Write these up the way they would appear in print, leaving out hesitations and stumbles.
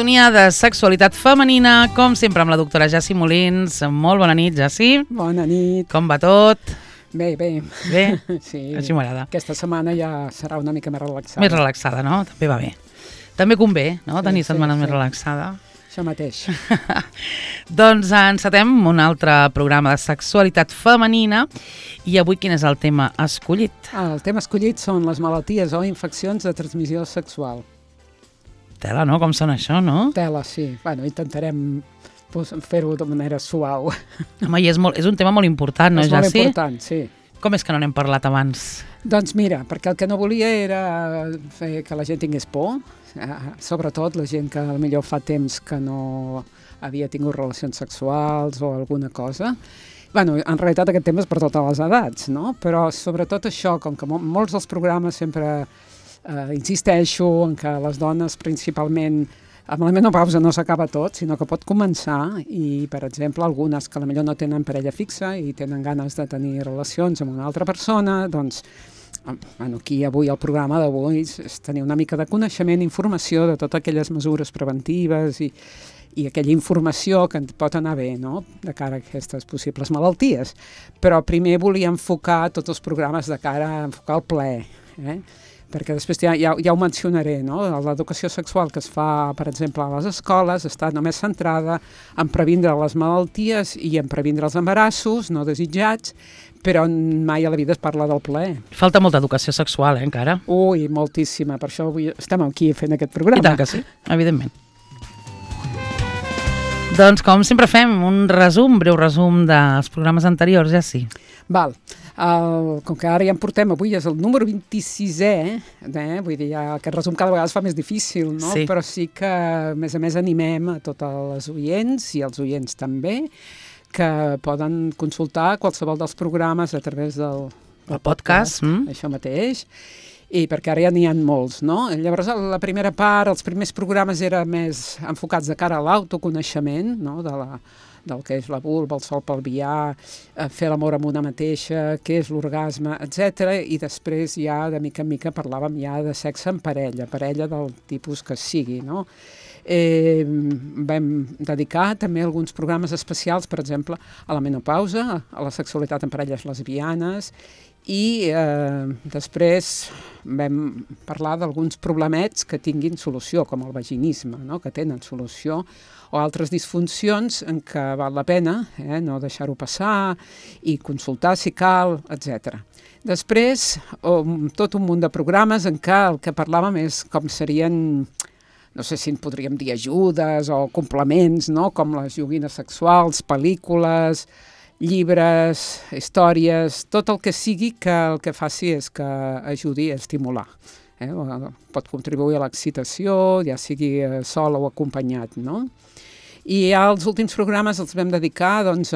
sintonia de sexualitat femenina, com sempre amb la doctora Jassi Molins. Molt bona nit, Jassi. Bona nit. Com va tot? Bé. Bé? Sí. Així m'agrada. Aquesta setmana ja serà una mica més relaxada. Més relaxada, no? També va bé. També convé, no? Tenir setmanes més relaxada. Això mateix. Doncs encetem un altre programa de sexualitat femenina i avui quin és el tema escollit? El tema escollit són les malalties o infeccions de transmissió sexual. Tela, no? Com sona això, no? Tela, sí. Bueno, intentarem fer-ho de manera suau. Home, i és un tema molt important, no, Jassi? És molt important, sí. Com és que no n'hem parlat abans? Doncs mira, perquè el que no volia era fer que la gent tingués por, sobretot la gent que potser fa temps que no havia tingut relacions sexuals o alguna cosa. Bueno, en realitat aquest tema és per totes les edats, no? Però sobretot això, com que molts dels programes sempre insisteixo en que les dones principalment amb la menopausa no s'acaba tot, sinó que pot començar i, per exemple, algunes que potser no tenen parella fixa i tenen ganes de tenir relacions amb una altra persona, doncs, aquí avui el programa d'avui és tenir una mica de coneixement, informació de totes aquelles mesures preventives i aquella informació que pot anar bé, no?, de cara a aquestes possibles malalties. Però primer volia enfocar tots els programes de cara a enfocar el plaer, perquè després ja ho mencionaré, no? L'educació sexual que es fa, per exemple, a les escoles està només centrada en previndre les malalties i en previndre els embarassos no desitjats, però mai a la vida es parla del plaer. Falta molta educació sexual, moltíssima. Ui, moltíssima, per això avui estem aquí fent aquest programa. I tant que sí, evidentment. Doncs com sempre fem un breu resum dels programes anteriors, ja sí. Val. Com que ara ja en portem, avui és el número 26è, vull dir, aquest resum cada vegada es fa més difícil, no? Sí. Però sí que, a més, animem a totes les oients i els oients també, que poden consultar qualsevol dels programes a través del podcast, això mateix, i perquè ara ja n'hi ha molts, no? Llavors, la primera part, els primers programes eren més enfocats de cara a l'autoconeixement, no?, del que és la vulva, el sol pelvià, fer l'amor amb una mateixa, què és l'orgasme, etc. I després ja, de mica en mica, parlàvem ja de sexe en parella del tipus que sigui, no? Vam dedicar també alguns programes especials, per exemple, a la menopausa, a la sexualitat en parelles lesbianes, i després vam parlar d'alguns problemets que tinguin solució, com el vaginisme, no?, que tenen solució, o altres disfuncions en què val la pena no deixar-ho passar i consultar si cal, etc. Després, tot un munt de programes en què el que parlàvem és com serien, no sé si en podríem dir ajudes o complements, no?, com les joguines sexuals, pel·lícules, llibres, històries, tot el que sigui que el que faci és que ajudi a estimular. Pot contribuir a l'excitació, ja sigui sol o acompanyat, no? I els últims programes els vam dedicar, doncs,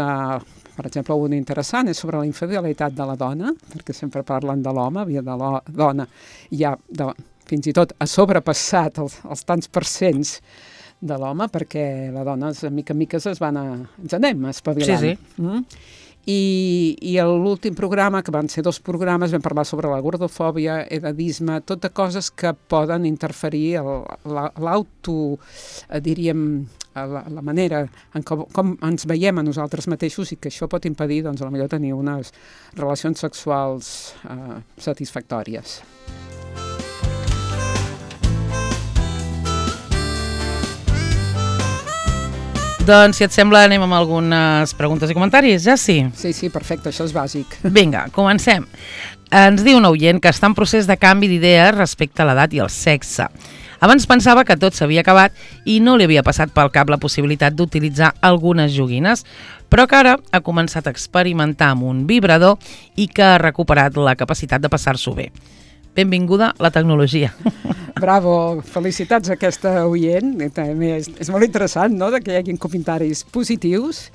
per exemple, un interessant és sobre la infidelitat de la dona, perquè sempre parlen de l'home, de la dona ja fins i tot ha sobrepassat els tants percents de l'home, perquè la dona, de mica en mica, ens anem espavilant. Sí. I l'últim programa, que van ser 2 programes, vam parlar sobre la gordofòbia, edadisme, totes coses que poden interferir diríem, la manera en com ens veiem a nosaltres mateixos i que això pot impedir, doncs, potser tenir unes relacions sexuals satisfactòries. Doncs, si et sembla, anem amb algunes preguntes i comentaris, ja sí? Sí, perfecte, això és bàsic. Vinga, comencem. Ens diu un oient que està en procés de canvi d'idees respecte a l'edat i el sexe. Abans pensava que tot s'havia acabat i no li havia passat pel cap la possibilitat d'utilitzar algunes joguines, però que ara ha començat a experimentar amb un vibrador i que ha recuperat la capacitat de passar-s'ho bé. Benvinguda la tecnologia. Bravo, felicitats a aquesta oient. També és molt interessant, no?, que hi hagi comentaris positius.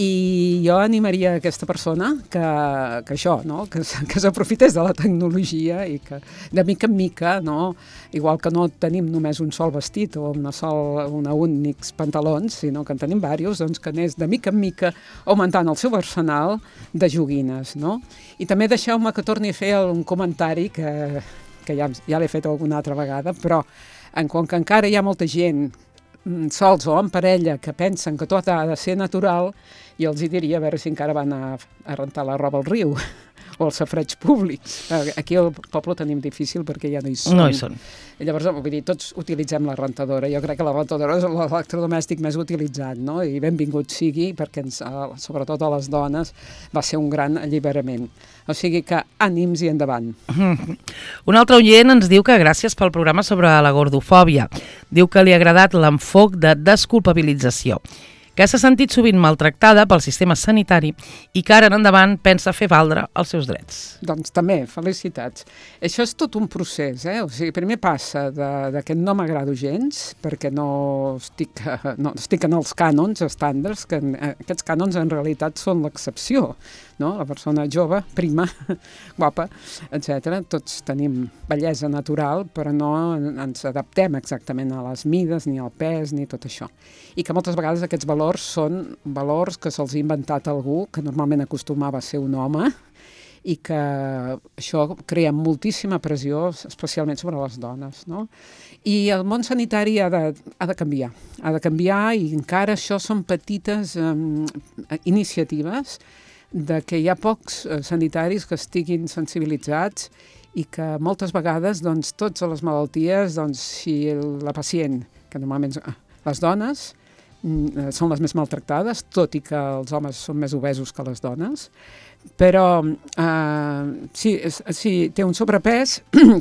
I jo animaria aquesta persona que això, no?, que s'aprofités de la tecnologia i que de mica en mica, no?, igual que no tenim només un sol vestit o únics pantalons, sinó que en tenim diversos, doncs que anés de mica en mica augmentant el seu arsenal de joguines, no? I també deixeu-me que torni a fer un comentari que ja l'he fet alguna altra vegada, però com que encara hi ha molta gent sols o en parella que pensen que tot ha de ser natural, jo els diria a veure si encara van a rentar la roba al riu o als safareigs públics. Aquí al poble ho tenim difícil perquè ja no hi són. No hi són. I llavors, vull dir, tots utilitzem la rentadora. Jo crec que la rentadora és l'electrodomèstic més utilitzat, no? I benvingut sigui perquè, sobretot a les dones, va ser un gran alliberament. O sigui que ànims i endavant. Un altre oient ens diu que gràcies pel programa sobre la gordofòbia. Diu que li ha agradat l'enfoc de desculpabilització, que s'ha sentit sovint maltractada pel sistema sanitari i que ara en endavant pensa fer valdre els seus drets. Doncs també, felicitats. Això és tot un procés, O sigui, primer passa que no m'agrado gens, perquè no estic en els cànons estàndards, que aquests cànons en realitat són l'excepció, no? La persona jove, prima, guapa, etc. Tots tenim bellesa natural, però no ens adaptem exactament a les mides, ni al pes, ni tot això. I que moltes vegades aquests valors són valors que se'ls ha inventat algú, que normalment acostumava a ser un home, i que això crea moltíssima pressió, especialment sobre les dones, no? I el món sanitari ha de canviar i encara això són petites iniciatives de que hi ha pocs sanitaris que estiguin sensibilitzats i que moltes vegades, doncs, totes les malalties, doncs, si la pacient, que normalment les dones, són les més maltractades, tot i que els homes són més obesos que les dones, però si té un sobrepès,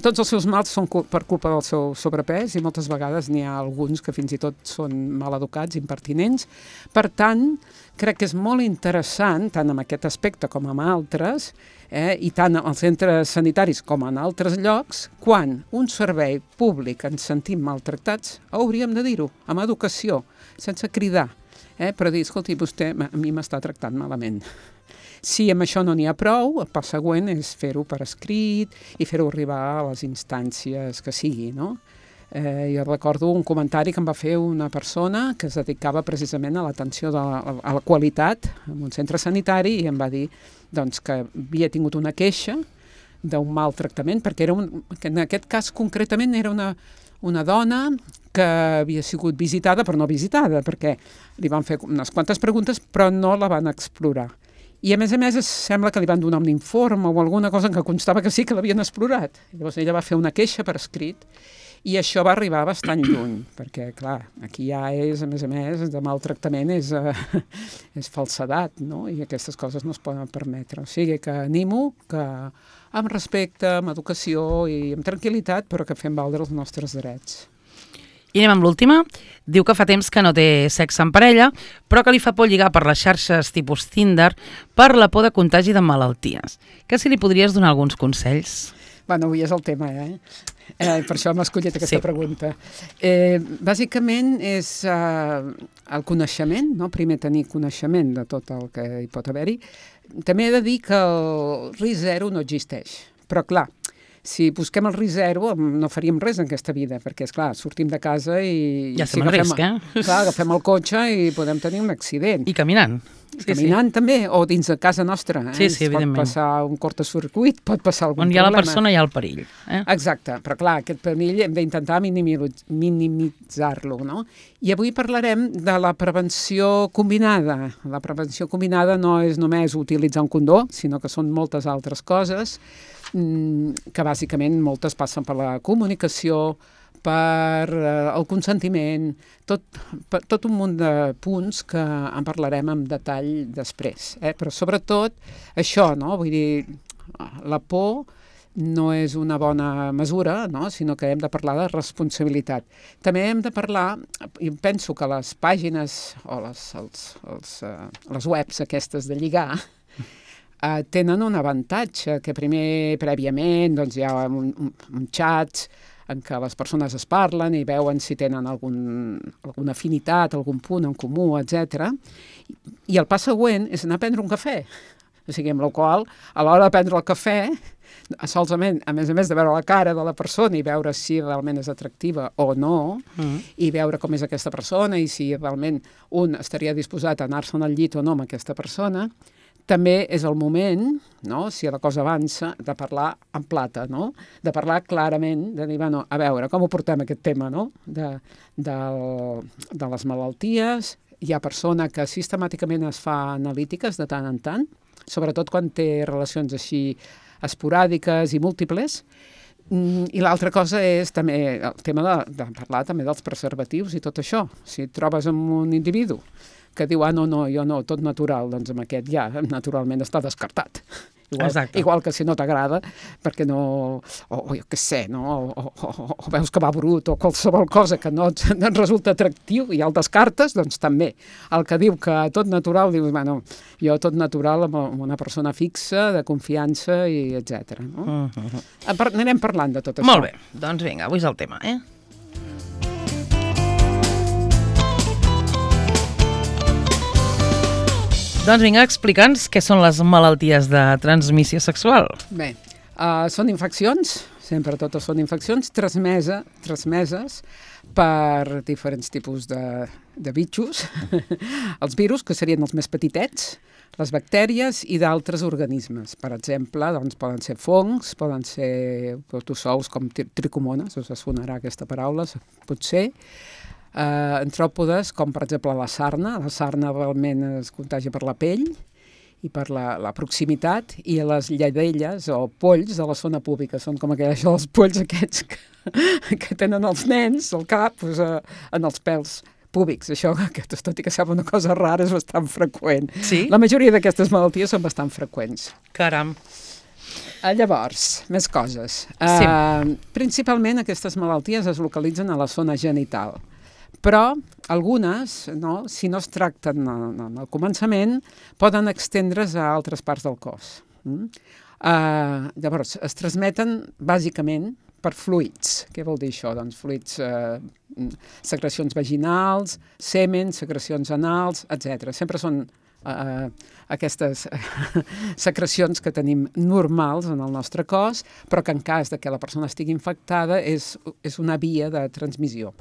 tots els seus mals són per culpa del seu sobrepès i moltes vegades n'hi ha alguns que fins i tot són mal educats, impertinents. Per tant, crec que és molt interessant, tant en aquest aspecte com en altres, i tant als centres sanitaris com en altres llocs, quan un servei públic ens sentim maltractats, hauríem de dir-ho, amb educació, sense cridar, però dir, escolti, vostè a mi m'està tractant malament. Si amb això no n'hi ha prou, el pas següent és fer-ho per escrit i fer-ho arribar a les instàncies que sigui, no? Jo recordo un comentari que em va fer una persona que es dedicava precisament a l'atenció a la qualitat en un centre sanitari i em va dir doncs, que havia tingut una queixa d'un mal tractament, perquè que en aquest cas concretament era una dona que havia sigut visitada però no visitada, perquè li van fer unes quantes preguntes però no la van explorar. I a més sembla que li van donar un informe o alguna cosa en què constava que sí que l'havien explorat. Llavors ella va fer una queixa per escrit i això va arribar bastant lluny, perquè clar, aquí ja és, a més, de maltractament és falsedat, no? I aquestes coses no es poden permetre. O sigui que animo que amb respecte, amb educació i amb tranquil·litat, però que fem valdre els nostres drets. I anem amb l'última. Diu que fa temps que no té sexe en parella, però que li fa por lligar per les xarxes tipus Tinder per la por de contagi de malalties. Que si li podries donar alguns consells? Bueno, avui és el tema, per això m'ha escollit aquesta pregunta. Bàsicament és el coneixement, no? Primer tenir coneixement de tot el que hi pot haver-hi. També he de dir que el risc zero no existeix, però clar, si busquem el risc zero no faríem res en aquesta vida, perquè, esclar, sortim de casa i... Ja estem en risc, Clar, agafem el cotxe i podem tenir un accident. I caminant. Caminant també, o dins de casa nostra. Sí, evidentment. Pot passar un cortocircuit, pot passar algun problema. On hi ha la persona hi ha el perill. Exacte, però clar, aquest perill hem d'intentar minimitzar-lo, no? I avui parlarem de la prevenció combinada. La prevenció combinada no és només utilitzar un condó, sinó que són moltes altres coses, que bàsicament moltes passen per la comunicació, per el consentiment, tot un munt de punts que en parlarem en detall després. Però sobretot això, no? Vull dir, la por no és una bona mesura, no? Sinó que hem de parlar de responsabilitat. També hem de parlar, i penso que les pàgines o les webs aquestes de lligar, tenen un avantatge, que primer, prèviament, doncs hi ha un xat en què les persones es parlen i veuen si tenen alguna afinitat, algun punt en comú, etc. I el pas següent és anar a prendre un cafè. O sigui, amb la qual, a l'hora de prendre el cafè, solament, a més de veure la cara de la persona i veure si realment és atractiva o no, i veure com és aquesta persona i si realment un estaria disposat a anar-se'n al llit o no amb aquesta persona, també és el moment, no? Si la cosa avança, de parlar en plata, no? De parlar clarament, de dir, bueno, a veure, com ho portem aquest tema, no? De les malalties. Hi ha persona que sistemàticament es fa analítiques de tant en tant, sobretot quan té relacions així esporàdiques i múltiples. I l'altra cosa és també el tema de parlar també dels preservatius i tot això. Si et trobes amb un individu que diu, no, jo no, tot natural, doncs amb aquest ja naturalment està descartat. Igual que si no t'agrada, perquè no, o jo què sé, no? O veus que va brut o qualsevol cosa que no et resulta atractiu i el descartes, doncs també. El que diu que tot natural, dius, bueno, jo tot natural amb una persona fixa, de confiança i etc. No? Anirem parlant de tot això. Molt bé, doncs vinga, avui és el tema, Doncs vinga, explica'ns què són les malalties de transmissió sexual. Bé, són infeccions, sempre totes són infeccions, transmeses per diferents tipus de bitxos, els virus, que serien els més petitets, les bactèries i d'altres organismes. Per exemple, doncs, poden ser fongs, poden ser protozous com tricomones, us sonarà aquesta paraula, potser, antròpodes, com per exemple la sarna. La sarna realment es contagia per la pell i per la proximitat, i les lladelles o polls de la zona pública. Són com els polls aquests que tenen els nens al cap, doncs, en els pèls púbics. Això, tot i que sembla una cosa rara, és bastant freqüent. Sí? La majoria d'aquestes malalties són bastant freqüents. Caram. Llavors, més coses. Sí. Principalment aquestes malalties es localitzen a la zona genital. Però algunes, no, si no es tracten al començament, poden extendre's a altres parts del cos. Llavors, es transmeten bàsicament per fluids. Què vol dir això? Doncs fluids, secrecions vaginals, semen, secrecions anals, etc. Sempre són aquestes secrecions que tenim normals en el nostre cos, però que en cas de que la persona estigui infectada és una via de transmissió.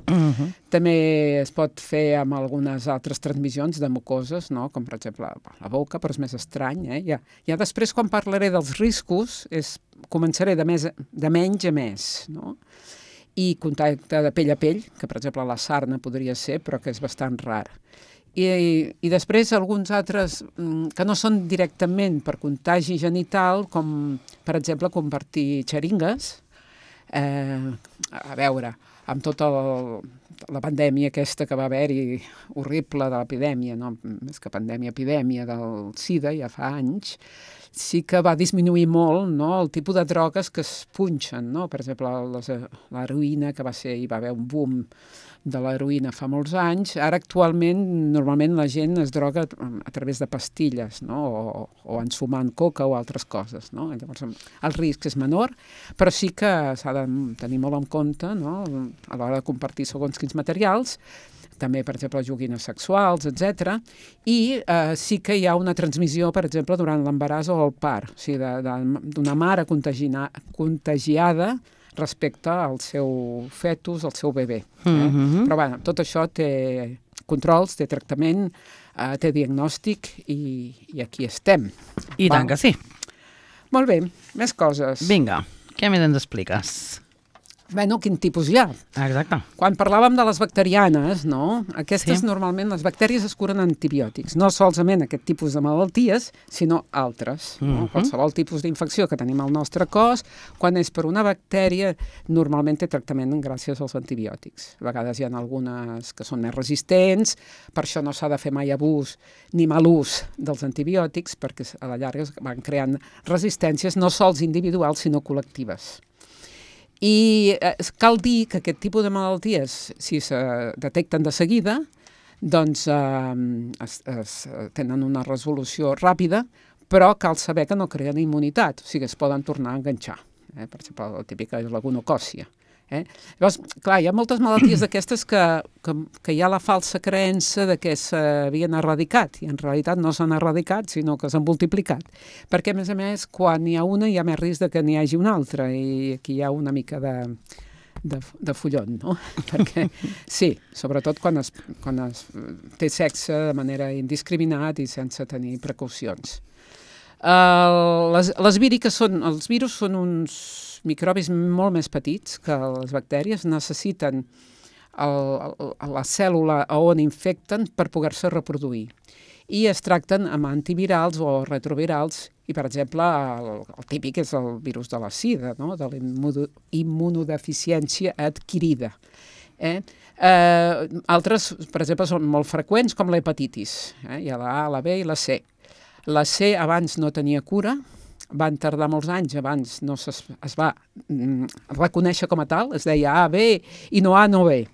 També es pot fer amb algunes altres transmissions de mucoses, no? Com per exemple la boca, però és més estrany. Ja després, quan parlaré dels riscos, començaré de menys a més, no? I contacte de pell a pell, que per exemple la sarna podria ser, però que és bastant rar. I després alguns altres que no són directament per contagi genital, com per exemple compartir xeringues. A veure, amb tota la pandèmia aquesta que va haver-hi horrible de l'epidèmia, no? Més que pandèmia, epidèmia del SIDA, ja fa anys, sí que va disminuir molt, no? El tipus de drogues que es punxen, no? Per exemple, l'heroïna, que hi va haver un boom de l'heroïna fa molts anys. Ara actualment normalment la gent es droga a través de pastilles, no? O ensumant coca o altres coses, no? Llavors el risc és menor, però sí que s'ha de tenir molt en compte, no? A l'hora de compartir segons quins materials, també, per exemple, joguines sexuals, etc. I sí que hi ha una transmissió, per exemple, durant l'embaràs o el part, o sigui, d'una mare contagiada respecte al seu fetus, al seu bebè. Però bé, tot això té controls, té tractament, té diagnòstic i aquí estem. I tant que sí. Molt bé, més coses. Vinga, què més ens expliques? Bueno, quin tipus hi ha? Exacte. Quan parlàvem de les bacterianes, no? Aquestes normalment, les bactèries es curen amb antibiòtics. No solament aquest tipus de malalties, sinó altres. No? Qualsevol tipus d'infecció que tenim al nostre cos, quan és per una bactèria, normalment té tractament gràcies als antibiòtics. A vegades hi ha algunes que són més resistents, per això no s'ha de fer mai abús ni mal ús dels antibiòtics, perquè a la llarga van creant resistències no sols individuals, sinó col·lectives. I cal dir que aquest tipus de malalties, si se detecten de seguida, doncs tenen una resolució ràpida, però cal saber que no creen immunitat, o sigui, es poden tornar a enganxar. Per exemple, la típica és la gonocòcia. Llavors, clar, hi ha moltes malalties d'aquestes que hi ha la falsa creença de que s'havien erradicat, i en realitat no s'han erradicat, sinó que s'han multiplicat. Perquè, a més, quan n'hi ha una hi ha més risc que n'hi hagi una altra, i aquí hi ha una mica de follon, no? Perquè, sí, sobretot quan es té sexe de manera indiscriminat i sense tenir precaucions. Les víriques els virus són uns microbis molt més petits que les bactèries, necessiten la cèl·lula on infecten per poder-se reproduir. I es tracten amb antivirals o retrovirals, i per exemple el típic és el virus de la sida, no? De la immunodeficiència adquirida. Altres, per exemple, són molt freqüents, com l'hepatitis. Hi ha la A, la B i la C. La C abans no tenia cura, van tardar molts anys, abans no es va reconèixer com a tal, es deia A, B i no A, no B.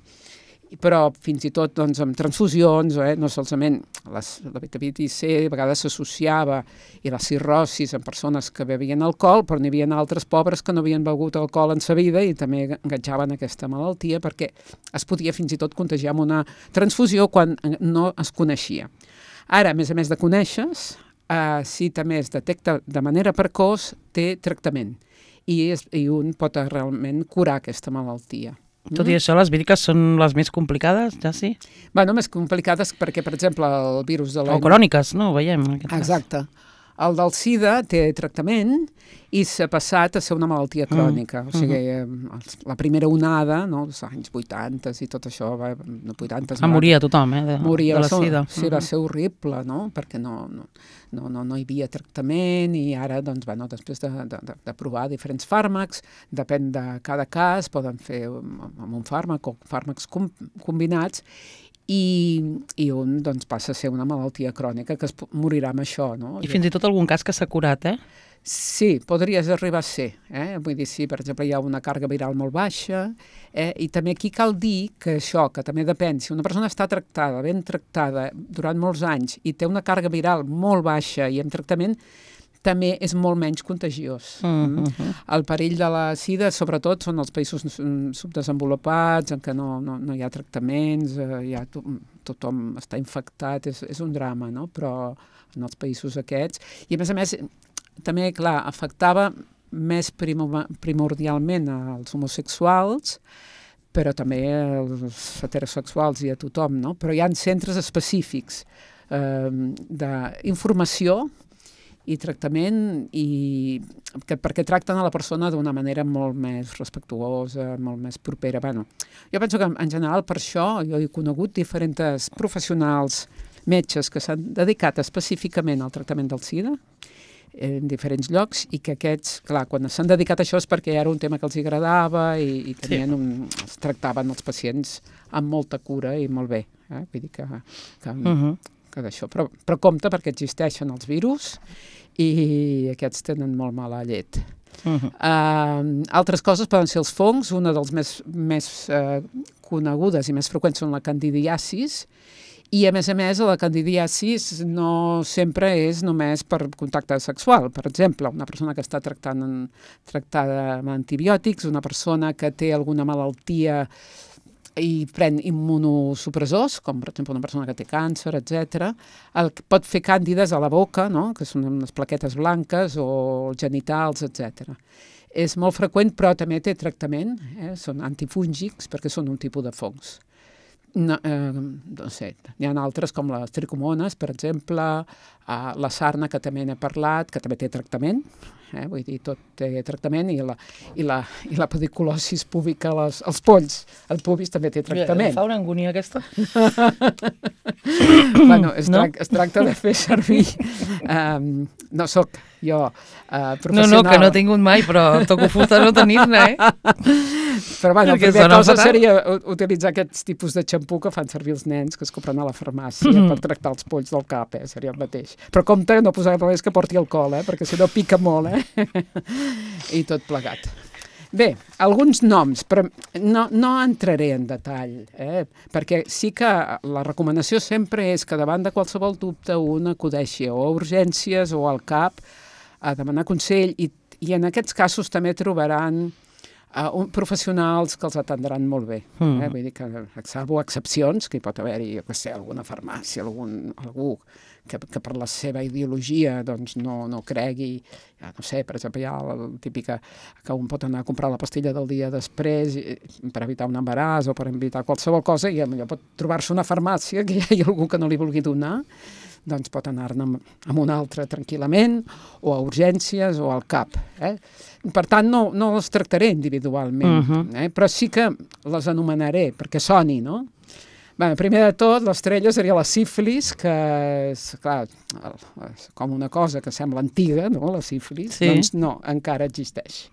Però fins i tot doncs, amb transfusions, no solament la hepatitis C a vegades s'associava i la cirrosis en persones que bevien alcohol, però n'hi havia altres pobres que no havien begut alcohol en sa vida i també enganxaven aquesta malaltia perquè es podia fins i tot contagiar amb una transfusió quan no es coneixia. Ara, a més de conèixer-se, si també es detecta de manera precoç, té tractament i un pot realment curar aquesta malaltia. Tot i això, les víriques són les més complicades, ja sí? Bueno, més complicades perquè, per exemple, el virus de la... O cròniques, no? Ho veiem. Exacte. El del SIDA té tractament i s'ha passat a ser una malaltia crònica. O sigui, la primera onada, no, als anys 80 i tot això, 80... Moria tothom, de la SIDA. Sí, va ser horrible, no? Perquè no hi havia tractament i ara, doncs, després de provar diferents fàrmacs, depèn de cada cas, poden fer amb un fàrmac o fàrmacs combinats i un doncs, passa a ser una malaltia crònica que es morirà amb això, no? I fins i tot algun cas que s'ha curat, Sí, podries arribar a ser. Vull dir, si per exemple hi ha una càrrega viral molt baixa, i també aquí cal dir que això, que també depèn, si una persona està tractada, ben tractada durant molts anys i té una càrrega viral molt baixa i amb tractament, també és molt menys contagiós. El perill de la sida, sobretot, són els països subdesenvolupats, en què no hi ha tractaments, tothom està infectat, és un drama, no? Però en els països aquests... I a més, també, clar, afectava més primordialment als homosexuals, però també als heterosexuals i a tothom, no? Però hi ha centres específics d'informació i tractament perquè tracten a la persona d'una manera molt més respectuosa, molt més propera. Bueno, jo penso que en general per això jo he conegut diferents professionals, metges que s'han dedicat específicament al tractament del SIDA en diferents llocs i que aquests, clar, quan s'han dedicat a això és perquè era un tema que els agradava i tenien es tractaven els pacients amb molta cura i molt bé. Vull dir que d'això. Però compte perquè existeixen els virus i aquests tenen molt mala llet. Altres coses poden ser els fongs, una dels més conegudes i més freqüents són la candidiasis, i a més, la candidiasis no sempre és només per contacte sexual. Per exemple, una persona que està tractada amb antibiòtics, una persona que té alguna malaltia i pren immunosupressors, com per exemple una persona que té càncer, etc. Pot fer càndides a la boca, no? Que són unes plaquetes blanques, o genitals, etc. És molt freqüent, però també té tractament, són antifúngics perquè són un tipus de fongs. No sé, n'hi ha altres com les tricomones, per exemple, la sarna, que també n'he parlat, que també té tractament, vull dir, tot té tractament, i la pediculosis púbica als polls, el pubis també té tractament. Fa una angúnia aquesta? Bueno, es tracta de fer servir, no sóc jo professional. No, que no he tingut mai, però toco fusta no tenir-ne, Però bueno, la primera cosa seria utilitzar aquests tipus de xampú que fan servir els nens que es compren a la farmàcia per tractar els polls del cap, seria el mateix. Però compte, no posar res que porti alcohol, perquè si no pica molt, i tot plegat. Bé, alguns noms, però no entraré en detall, perquè sí que la recomanació sempre és que davant de qualsevol dubte un acudeixi o a urgències o al CAP a demanar consell, i en aquests casos també trobaran professionals que els atendran molt bé. Vull dir que, salvo excepcions, que hi pot haver-hi, alguna farmàcia, algú que per la seva ideologia doncs, no cregui, ja no sé, per exemple, hi ha la típica que un pot anar a comprar la pastilla del dia després per evitar un embaràs o per evitar qualsevol cosa, i potser pot trobar-se una farmàcia que hi hagi algú que no li vulgui donar, doncs pot anar-ne amb un altre tranquil·lament, o a urgències o al CAP. Per tant, no les tractaré individualment, però sí que les anomenaré, perquè soni, no? Bé, primer de tot, l'estrella seria la sífilis, que és, clar, com una cosa que sembla antiga, no?, la sífilis, doncs no, encara existeix.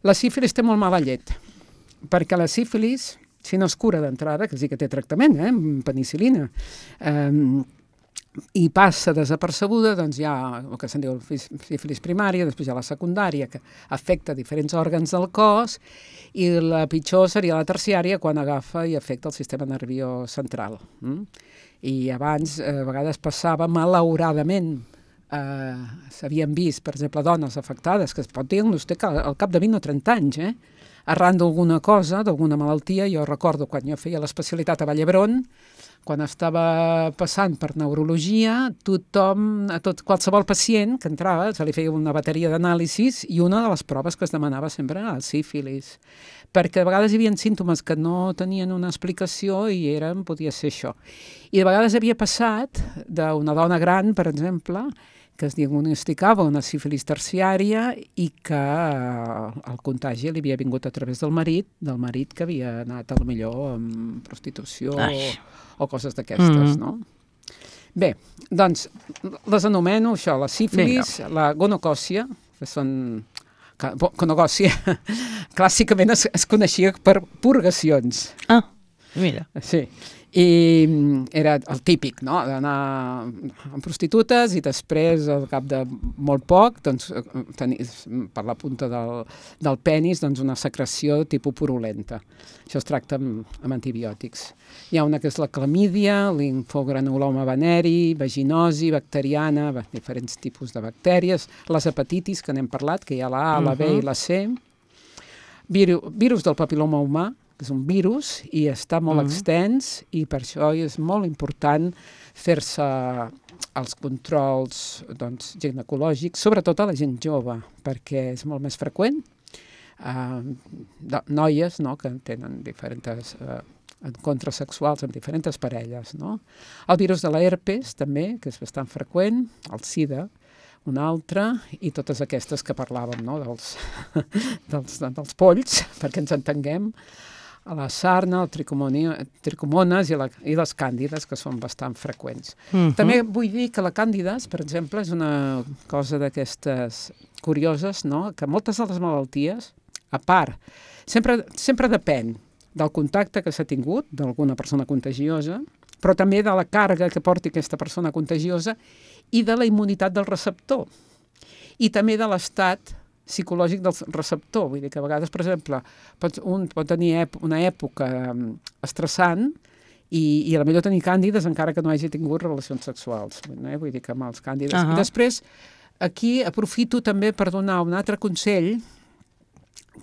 La sífilis té molt mala llet, perquè la sífilis, si no es cura d'entrada, que sí que té tractament, amb penicil·lina, i passa desapercebuda, doncs hi ha el que se'n diu sífilis primària, després hi ha la secundària, que afecta diferents òrgans del cos, i la pitjor seria la terciària, quan agafa i afecta el sistema nerviós central. I abans, a vegades passava malauradament, s'havien vist, per exemple, dones afectades, que es pot diagnosticar al cap de 20 o 30 anys, arran d'alguna cosa, d'alguna malaltia. Jo recordo quan jo feia l'especialitat a Vall d'Hebron, quan estava passant per neurologia, qualsevol pacient que entrava se li feia una bateria d'anàlisis i una de les proves que es demanava sempre era el sífilis, perquè a vegades hi havia símptomes que no tenien una explicació i podia ser això. I de vegades havia passat d'una dona gran, per exemple, que es diagnosticava una sífilis terciària i que el contagi li havia vingut a través del marit que havia anat millor amb prostitució o coses d'aquestes, no? Bé, doncs, les anomeno això, la sífilis, la gonocòcia, que són... Gonocòcia, clàssicament es coneixia per purgacions. Ah, mira. Sí. I era el típic, no?, d'anar amb prostitutes i després, al cap de molt poc, doncs, tenir per la punta del penis una secreció tipus purulenta. Això es tracta amb antibiòtics. Hi ha una que és la clamídia, linfogranuloma veneri, vaginosi, bacteriana, diferents tipus de bactèries, les hepatitis, que n'hem parlat, que hi ha la A, la B i la C, virus del papil·loma humà, que és un virus i està molt extens, i per això és molt important fer-se els controls ginecològics, sobretot a la gent jove, perquè és molt més freqüent. Noies, no?, que tenen diferents encontres sexuals amb diferents parelles, no? El virus de la herpes, també, que és bastant freqüent, el sida, un altre, i totes aquestes que parlàvem, no?, dels polls, perquè ens entenguem, a la sarna, el tricomones i les càndides, que són bastant freqüents. També vull dir que la càndides, per exemple, és una cosa d'aquestes curioses, no?, que moltes de les malalties, a part, sempre depèn del contacte que s'ha tingut d'alguna persona contagiosa, però també de la càrrega que porti aquesta persona contagiosa i de la immunitat del receptor. I també de l'estat psicològic del receptor. Vull dir que a vegades, per exemple, un pot tenir una època estressant i a la millor tenir càndides encara que no hagi tingut relacions sexuals. Vull dir que amb els càndides. I després, aquí aprofito també per donar un altre consell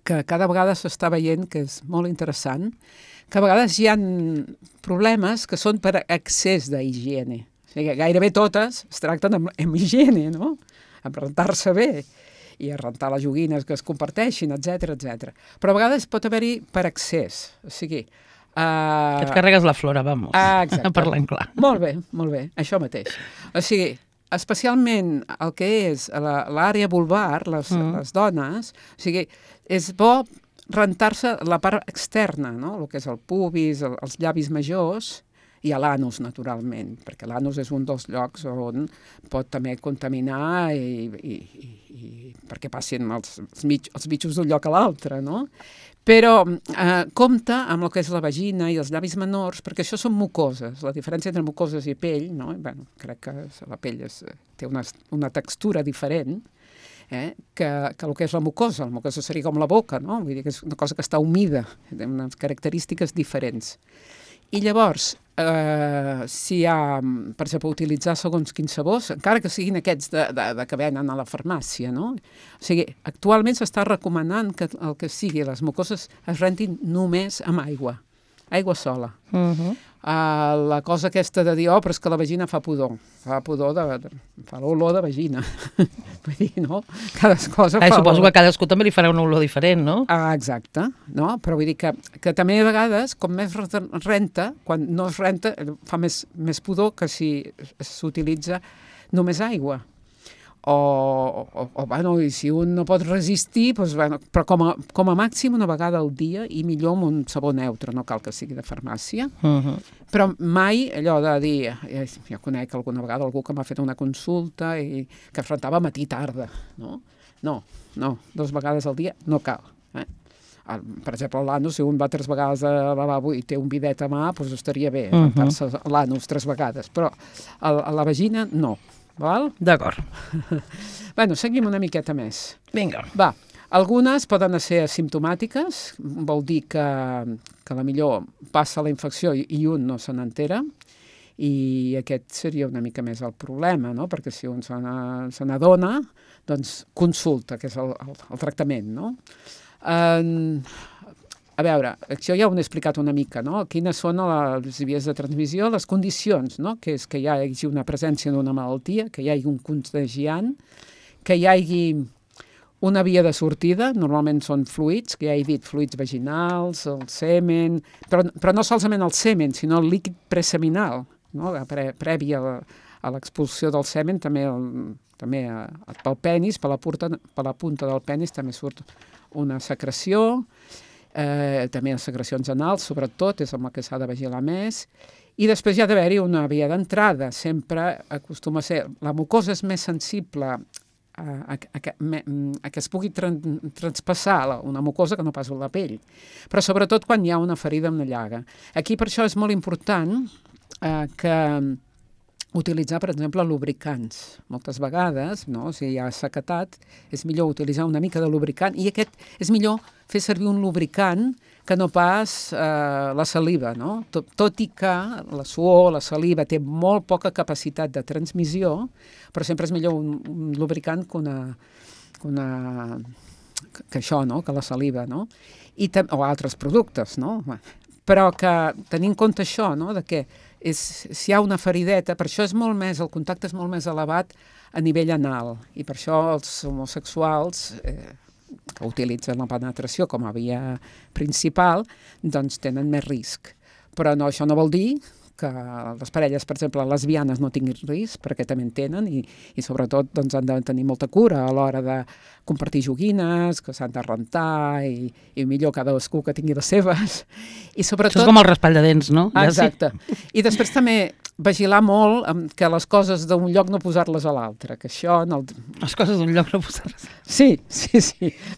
que cada vegada s'està veient que és molt interessant, que a vegades hi ha problemes que són per excés d'higiene. O sigui, gairebé totes es tracten amb higiene, no?, amb rentar-se bé i a rentar les joguines que es comparteixin, etc. Però a vegades pot haver-hi per excés. O sigui... Que et carregues la flora, vamos. Exacte. Parlant clar. Molt bé, això mateix. O sigui, especialment el que és l'àrea vulvar, les dones, o sigui, és bo rentar-se la part externa, no?, el que és el pubis, els llavis majors, i a l'anus, naturalment, perquè l'anus és un dels llocs on pot també contaminar i perquè passin els bitxos d'un lloc a l'altre, no? Però compta amb el que és la vagina i els llavis menors, perquè això són mucoses. La diferència entre mucoses i pell, no? Bueno, crec que la pell té una textura diferent, que el que és la mucosa. La mucosa seria com la boca, no? Vull dir que és una cosa que està humida, té unes característiques diferents. I llavors, si hi ha, per exemple, utilitzar segons quins sabors, encara que siguin aquests que venen a la farmàcia, no? O sigui, actualment s'està recomanant que el que sigui les mucoses es rentin només amb aigua sola. la cosa aquesta de dir, però és que la vagina fa pudor fa l'olor de vagina. Vull dir, no? Cada cosa fa... Suposo que a cadascú també li farà una olor diferent, no? Exacte, no? Però vull dir que també a vegades, com més renta, quan no es renta, fa més pudor que si s'utilitza només aigua. Bueno, i si un no pot resistir, doncs, bueno, però com a màxim una vegada al dia i millor amb un sabó neutre, no cal que sigui de farmàcia, però mai allò de dir, jo conec alguna vegada algú que m'ha fet una consulta i que es rentava matí i tarda, no? No, 2 vegades al dia no cal, Per exemple, l'anus, si un va 3 vegades al lavabo i té un bidet a mà, doncs estaria bé rentar-se l'anus 3 vegades, però a la vagina no. Val? D'acord. Bueno, seguim una miqueta més. Vinga. Va, algunes poden ser asimptomàtiques, vol dir que la millor passa la infecció i un no se n'entera, i aquest seria una mica més el problema, no? Perquè si un se n'adona, doncs consulta, que és el tractament, no? A veure, això ja ho he explicat una mica, no? Quines són les vies de transmissió, les condicions, no? Que és que hi hagi una presència d'una malaltia, que hi hagi un contagiant, que hi hagi una via de sortida, normalment són fluids, que ja he dit fluids vaginals, el semen, però no solament el semen, sinó el líquid preseminal, no? Previ a l'expulsió del semen, també pel penis, per la punta del penis també surt una secreció, també les secrecions anals, sobretot, és amb el que s'ha de vigilar més, i després hi ha d'haver-hi una via d'entrada, sempre acostuma a ser, la mucosa és més sensible a que es pugui traspassar una mucosa que no pas la pell, però sobretot quan hi ha una ferida, una llaga. Aquí per això és molt important que utilitzar, per exemple, lubricants. Moltes vegades, no? Si hi ha sequedat, és millor utilitzar una mica de lubricant, i aquest és millor fer servir un lubricant que no pas la saliva, no? Tot i que la suor, la saliva, té molt poca capacitat de transmissió, però sempre és millor un lubricant que això, no? Que la saliva, no? O altres productes, no? Però que tenint en compte això, no? De que si hi ha una ferideta, per això el contacte és molt més elevat a nivell anal, i per això els homosexuals que utilitzen la penetració com a via principal, doncs tenen més risc. Però no, això no vol dir que les parelles, per exemple, lesbianes no tinguin risc, perquè també en tenen, i sobretot doncs, han de tenir molta cura a l'hora de compartir joguines, que s'han de rentar, i millor cadascú que tingui les seves. I sobretot... Això és com el raspall de dents, no? Exacte. I després també vigilar molt que les coses d'un lloc no posar-les a l'altre, que això... Les coses d'un lloc no posar-les... Sí.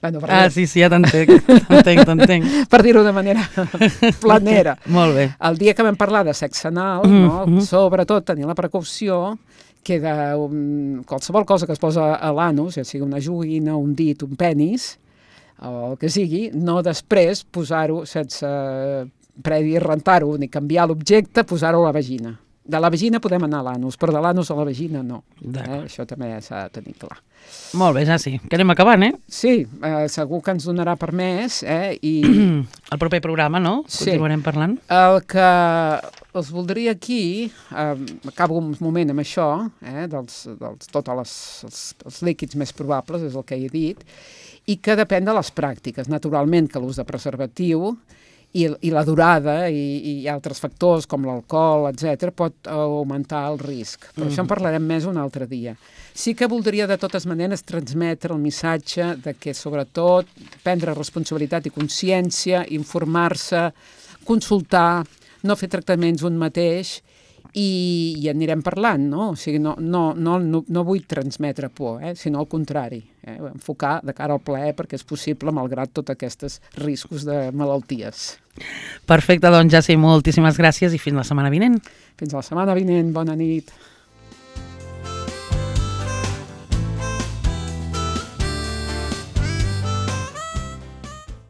Bueno, sí, ja t'entenc. Per dir-ho de manera planera. Molt bé. El dia que vam parlar de sexe anal, no? Sobretot tenir la precaució que de qualsevol cosa que es posa a l'anus, ja sigui una joguina, un dit, un penis, o el que sigui, no després posar-ho sense previ rentar-ho ni canviar l'objecte, posar-ho a la vagina. De la vagina podem anar a l'anus, però de l'anus a la vagina no. Això també s'ha de tenir clar. Molt bé, ja sí. Que anem acabant, Sí, segur que ens donarà per més, i... El proper programa, no? Sí. Continuarem parlant. El que els voldria aquí, acabo un moment amb això, tots els líquids més probables, és el que he dit, i que depèn de les pràctiques. Naturalment que l'ús de preservatiu i la durada i altres factors com l'alcohol, etc., pot augmentar el risc. Però això en parlarem més un altre dia. Sí que voldria, de totes maneres, transmetre el missatge de que, sobretot, prendre responsabilitat i consciència, informar-se, consultar, no fer tractaments un mateix, i anirem parlant, no? O sigui, no vull transmetre por, sinó al contrari, enfocar de cara al plaer perquè és possible malgrat tots aquests riscos de malalties. Perfecte, doncs ja sé, moltíssimes gràcies i fins la setmana vinent. Fins la setmana vinent, bona nit.